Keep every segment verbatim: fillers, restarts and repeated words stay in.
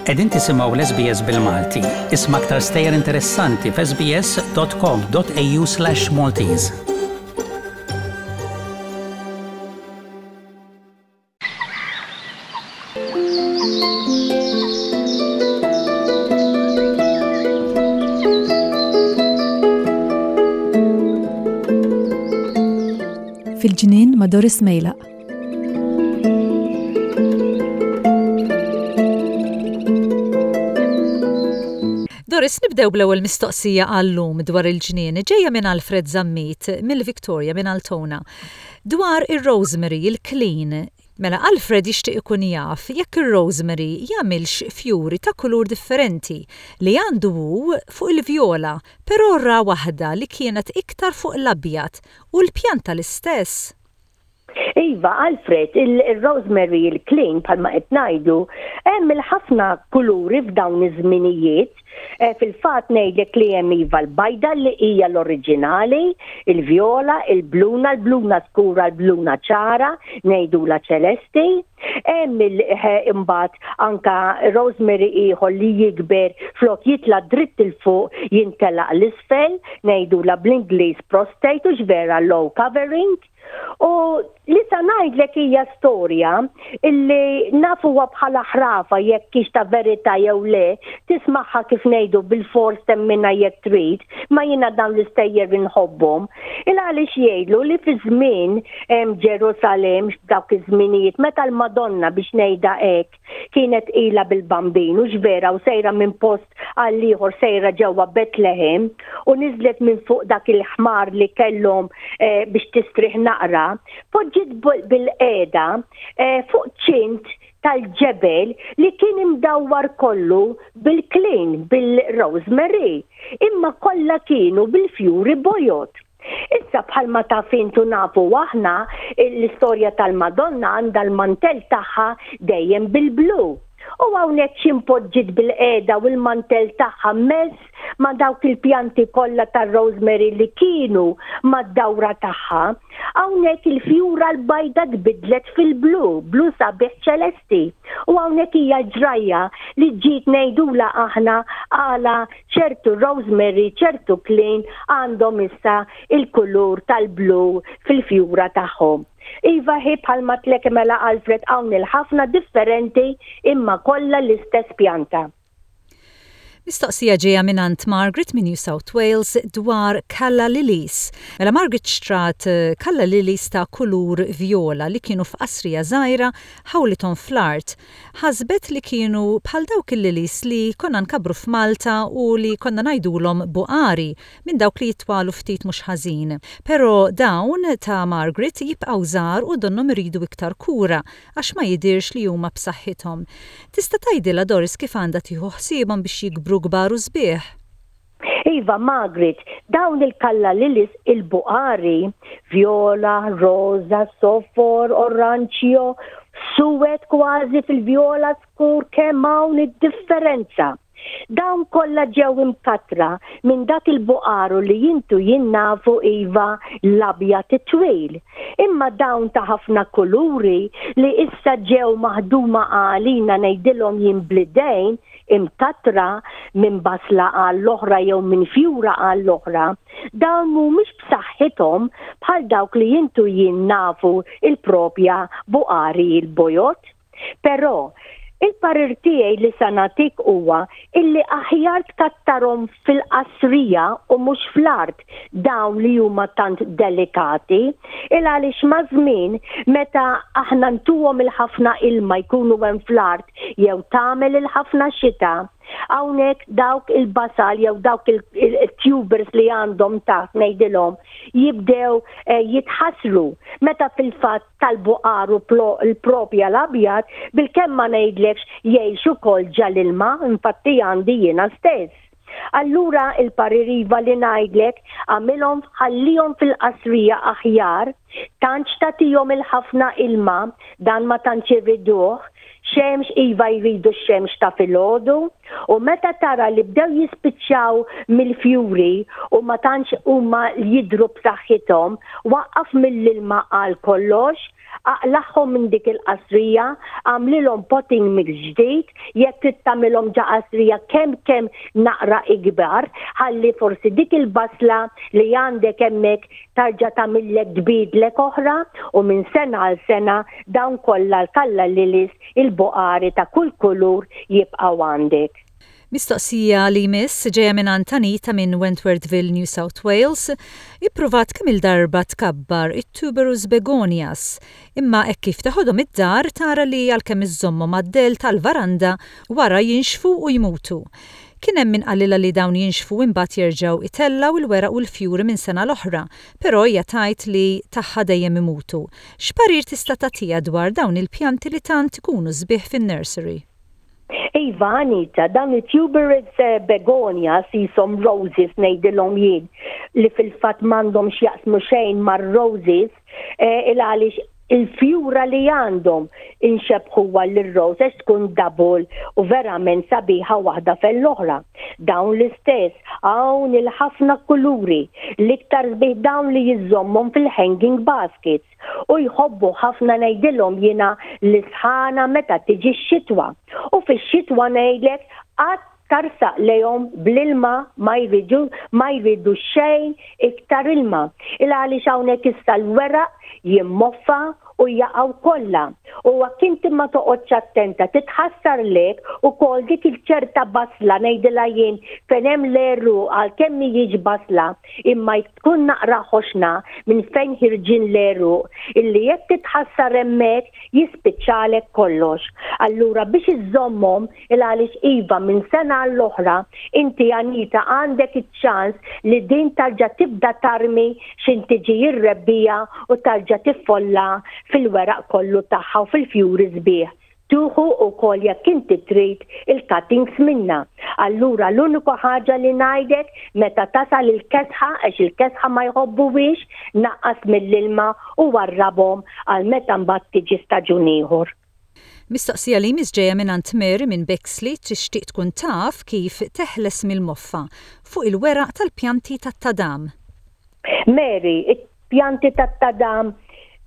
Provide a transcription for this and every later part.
Qegħdin tisimgħu l-S B S bil-Malti. Isma' aktar stejjer interessanti f'S B S dot com dot A U slash Maltese. Fil-Ġnien ma' Doris Mejlaq. Doris, nibdew bl-ewwel mistoqsija għallum dwar il-ġnien, ġejja minn Alfred Zammit mill-Victoria, minn Altona. Dwar ir-rosemary, il-klin. Mela Alfred jixtieq ikun jaf jekk ir-rosemary jagħmilx fjuri ta' kulur differenti. Li għandu hu fuq il-vjola, però ra waħda li kienet iktar fuq l-abjad u l-pjanta l-istess. Iva, Alfred, il-rosemary, il-klin, bħalma qed ngħidu, hemm il-ħafna kuluri f'dawn iż-żminijiet. Eh, fil-fatt ngħidlek li hemm, iva, l-bajda li hija l-oriġinali, il-vjola, il-bluna, l-bluna skura, l-bluna ċara, ngħidula ċelesti. Hemm eh, imbagħad anka rosemary ieħor li jikber, flok jitla dritt 'il fuq jintelaq l-isfel, ngħidula bl-Ingliż prostrate, u vera low covering. U li sa ngħidlek hija storja illi nafuha bħala ħrafa, jekk hix ta' verità jew le, tismagħha kif ngħidu bil-fors temminha jekk trid, ma jiena dawn l-istejjer inħobbhom. Il għaliex jgħidu li fi żmien Ġerusalem, dawk iż-żminijiet meta l-Madonna, biex ngħidha hekk, kienet ilha bil-Bambin u vera u sejra minn post għal ieħor, sejra ġewwa Betlehem, u niżlet minn fuq dak il-ħmar li kellhom eh, biex tistrieħ naqra, poġġiet bil-qiegħda eh, fuq ċint tal-ġebel li kien imdawwar kollu bil-klin, bil-rosemary, imma kollha kienu bil-fjuri bojod. Issa, bħalma taf intu, nafu aħna, l-istorja tal-Madonna għandha l-mantel tagħha dejjem bil-blu. U hawnhekk x'impoġġiet bil-qiegħda u l-mantel tagħha mess ma' dawk il-pjanti kollha tar-rosemary li kienu mad-dawra tagħha. Hawnhekk il-fjura l-bajda tbidlet fil-blu, blu sabiħ ċelesti. U hawnhekk hija ġrajja li ġiet ngħidula aħna għala ċertu rosemary, ċertu klin għandhom issa il-kulur tal-blu fil-fjura tagħhom. Iva, hi bħalma għedtlek, mela Alfred, hawn il-ħafna differenti imma kollha l-istess pjanta. Mistoqsija ġeja mingħand Margaret minn New South Wales dwar Calla Lilies. Mela Margaret xtrat eh, Calla Lilies ta' kulur viola li kienu f'qasrija żgħira ħawlithom fl-art. Ħasbet li kienu bħal dawk il-lilies li konna nkabbru f'Malta u li konna ngħidulhom buqari, minn dawk li jitwalu ftit mhux ħażin. Però dawn ta' Margaret jibqgħu żgħar u donnhom iridu iktar kura għax ma jidirx li huma b'saħħithom. Tista' tgħidilha, Doris, kif għandha tieħu ħsiebhom biex jikbru kbar u sbieħ? Iva, Margaret, dawn il-Calla Lilies, il-buqari, viola, rosa, sofor, oranġjo, suwed kważi fil-viola skur, kemm hawn id-differenza. Dawn kollha ġew imkatra minn dak il-buqaru li intu jien nafu, iva, l-abjad it-twil. Imma dawn ta' ħafna kuluri li issa ġew maħduma għalina, ngħidilhom jien bl-idejn, imkatra minn basla għall-oħra jew minn fjura għall-oħra, dawn mhumiex b'saħħithom bħal dawk li intu jien nafu, il-propja buqari il-bojod. Però il-parir tiegħi li sa nagħtik huwa illi aħjar tkattarhom fil-qasrija u mhux fl-art dawn li huma tant delikati, il għaliex ma' żmien meta aħna ntuhom il-ħafna ilma jkunu hemm fl-art jew tagħmel il-ħafna xita, hawnhekk dawk il-basal jew dawk il-tubers li għandhom taħt, ngħidilhom, jibdew eh, jitħassru, meta fil-fatt tal-buqaru l-propja l-abjad bil-kemm ma ngħidlekx jgħixu kol ġal-ilma, infatti għandi jiena stess. Allura il-parir, iva, li ngħidlek, għamilhom, ħallihom fil-qasrija aħjar, tantx tagħtihom il-ħafna ilma, dan ma tantx irriduh, xemx, iva, jridu xemx ta' filgħodu, u meta tara li bdew jispiċċaw mill-fjuri u ma tantx huma jidru b'saħħithom, waqqaf mill-ilma għal kollox. Aqlagħhom minn dik il-qasrija, għamlilhom potting mix ġdid, jekk trid tagħmilhom ġo qasrija kemm kemm naqra ikbar, ħalli forsi dik il-basla li għandek hemmhekk tarġa' tagħmillek tbidlek oħra u minn sena għal sena dawn kollha l-calla lilies, il-buqari ta' kull kulur jibqgħu għandek. Mistoqsija li jmiss ġejja minn Antanita minn Wentworthville, New South Wales, ippruvat kemm il-darba tkabbar it-tuberous begonias, imma hekk kif teħodhom id-dar tara li għalkemm iżżommhom għad-del tal-varanda wara jinxfu u jmutu. Kien hemm min qalilha li dawn jinxfu imbagħad jerġgħu itellaw il-weraq u l-fjuri minn sena l-oħra, però hija tgħid li tagħha dejjem imutu. X'parir tista' tagħtiha dwar dawn il-pjanti li tant ikunu sbieħ fin-nursery? Iva, Anita, dawn it-tuberous eh, begonias jisimhom roses ngħidilhom jien li fil-fatt m'għandhom x'jaqsmu xejn mar-roses eh, il għaliex il-fjura li għandhom inxebħuha l-rose tkun double u verament sabiħa waħda fl-oħra. Dawn l-istess, hawn il-ħafna kuluri, l-iktar sbieħ dawn li jiżommhom fil-hanging baskets u jħobbu ħafna ngħidilhom jiena l-isħana meta tiġi x-xitwa. U fix-xitwa ngħidlek qatt tarsaq lejhom bl-ilma, ma jridu ma jridu xejn iktar ilma. Il għaliex hawnhekk issa l-weraq jimmoffa u jaqgħu kollha. U jekk inti ma toqgħodx attenta titħassar lek ukoll dik il-ċerta basla ngħidilha jien fejn hemm l-għeruq, għalkemm mhijiex basla imma tkun naqra ħoxna minn fejn ħirġin l-għeruq, illi jekk titħassar hemmhekk jispiċċalek kollox. Allura biex iżommhom, il għaliex iva minn sena l-oħra inti, Anita, għandek iċ-ċans li din tarġa' tibda tarmi x'ħin tiġi r-rebbiegħa u tarġa' tiffolla fil-weraq kollu tagħha u fil-fjuri sbieħ. Tieħu wkoll jekk inti trid il-cuttings minna. Allura l-uniku ħaġa li ngħidek, meta tasal il-kesħa, għax il-kesħa ma jħobbuwix, naqqas mill-ilma u warrabhom għal meta mbagħad tiġi staġun ieħor. Mistoqsija li jmiss ġejja minn Mary minn Bexley, tixtieq tkun taf kif teħles mill-moffa fuq il-weraq tal-pjanti tat-tadam. Mary, il-pjanti tat-tadam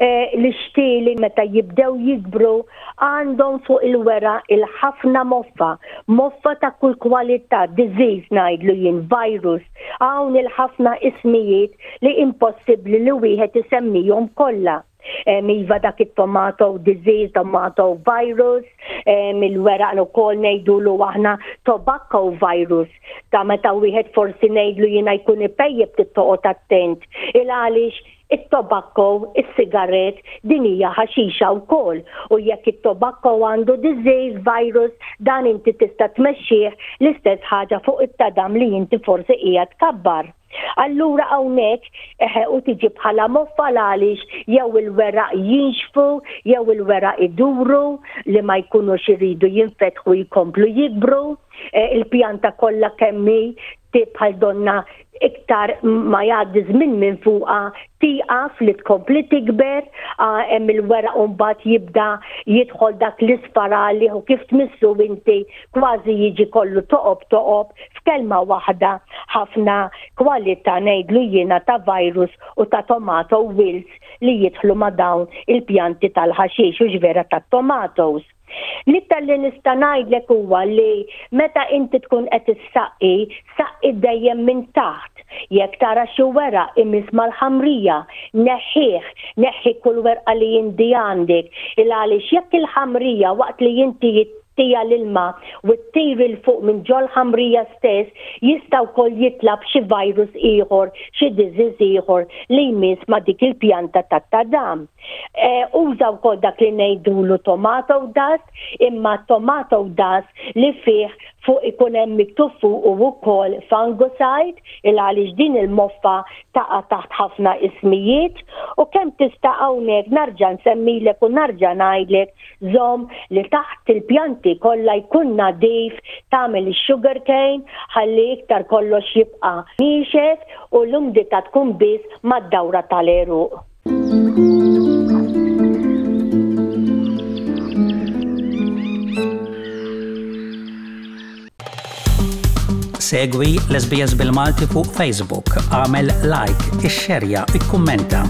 eh, l-ixtieli meta jibdew jikbru għandhom fuq il-weraq il-ħafna moffa, moffa ta' kull kwalità, disease ngħidlu jien, virus, hawn il-ħafna ismijiet li impossibbli li wieħed isemmihom kollha. Iva, dak it-tomato disease, tomato virus, il-weraq ukoll ngħidulu aħna tobacco virus, ta' meta wieħed forsi ngħidlu jiena jkun ipejjep toqgħod attent. Il għaliex it-tobacco, is-sigaret, din hija ħaxixa wkoll. U jekk it-tobacco għandu disease virus, dan inti tista' tmexxih l-istess ħaġa fuq it-tadam li inti forsi qiegħed tkabbar. Allura hawnhekk eħe u tiġi bħala moffa għaliex jew il-weraq jinxfu, jew il-weraq iduru li ma jkunux iridu jinfetħu jkomplu jikbru, e, il-pjanta kollha kemm hi bħal donna iktar ma jgħaddi żmien minn fuqha tieqaf li tkompli tikber, hemm il-weraq u mbagħad jibda jidħol dak l-isfar għalih u kif tmissu inti kważi jiġi kollu toqob toqob. F'kelma waħda, ħafna kwalità ngħidlu jiena ta' virus u ta' tomato wilts li jidħlu ma' dawn il-pjanti tal-ħaxix u ġvera tat-tomatoes. L-iktar li nista' ngħidlek huwa li meta inti tkun qed issaqqi, saqqi dejjem minn taħt. Jekk tara xi weraq imiss mal-ħamrija, neħħih, neħħi kull werqa li inti għandek. Il għaliex jekk il-ħamrija waqt li inti ttiha l-ilma u ttir 'il fuq minn ġol ħamrija stess jista' wkoll jitla' xi virus ieħor, xi disease ieħor li jmiss ma' dik il-pjanta tat-tadam. E, uża wkoll dak li ngħidulu tomato dust, imma tomato dust li fih fuq ikun hemm miktub fuq u wkoll fungicide, il għaliex din il-moffa taqa' taħt ħafna ismijiet. U kemm tista' hawnhekk narġa' nsemmilek u narġa' ngħidlek, żomm li taħt il-pjanti kollha jkun nadif, tagħmel ix-sugar cane ħalli iktar kollox jibqa' niexef u l-umdità tkun biss mad-dawra tal-għeruq. Segwi l-S B S bil-Malti fuq Facebook, għamel like, ixxerja, ikkummenta.